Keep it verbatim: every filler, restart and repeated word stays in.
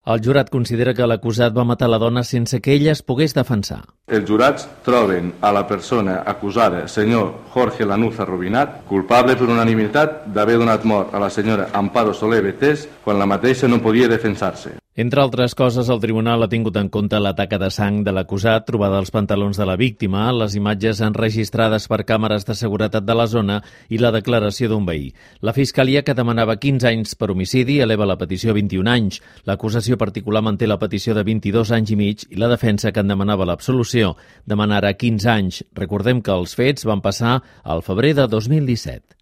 El jurat considera que l'acusat va matar la dona sense que ella es pogués defensar. Els jurats troben a la persona acusada, senyor Jorge Lanuza Rubinat, culpable per unanimitat d'haver donat mort a la senyora Amparo Soler Betés quan la mateixa no podia defensar-se. Entre altres coses, el tribunal ha tingut en compte la taca de sang de l'acusat trobada als pantalons de la víctima, les imatges enregistrades per càmeres de seguretat de la zona i la declaració d'un veí. La Fiscalia, que demanava quinze anys per homicidi, eleva la petició a vint-i-un anys. L'acusació particular manté la petició de vint-i-dos anys i mig i la defensa, que en demanava l'absolució, demanarà quinze anys. Recordem que els fets van passar al febrer de dos mil disset.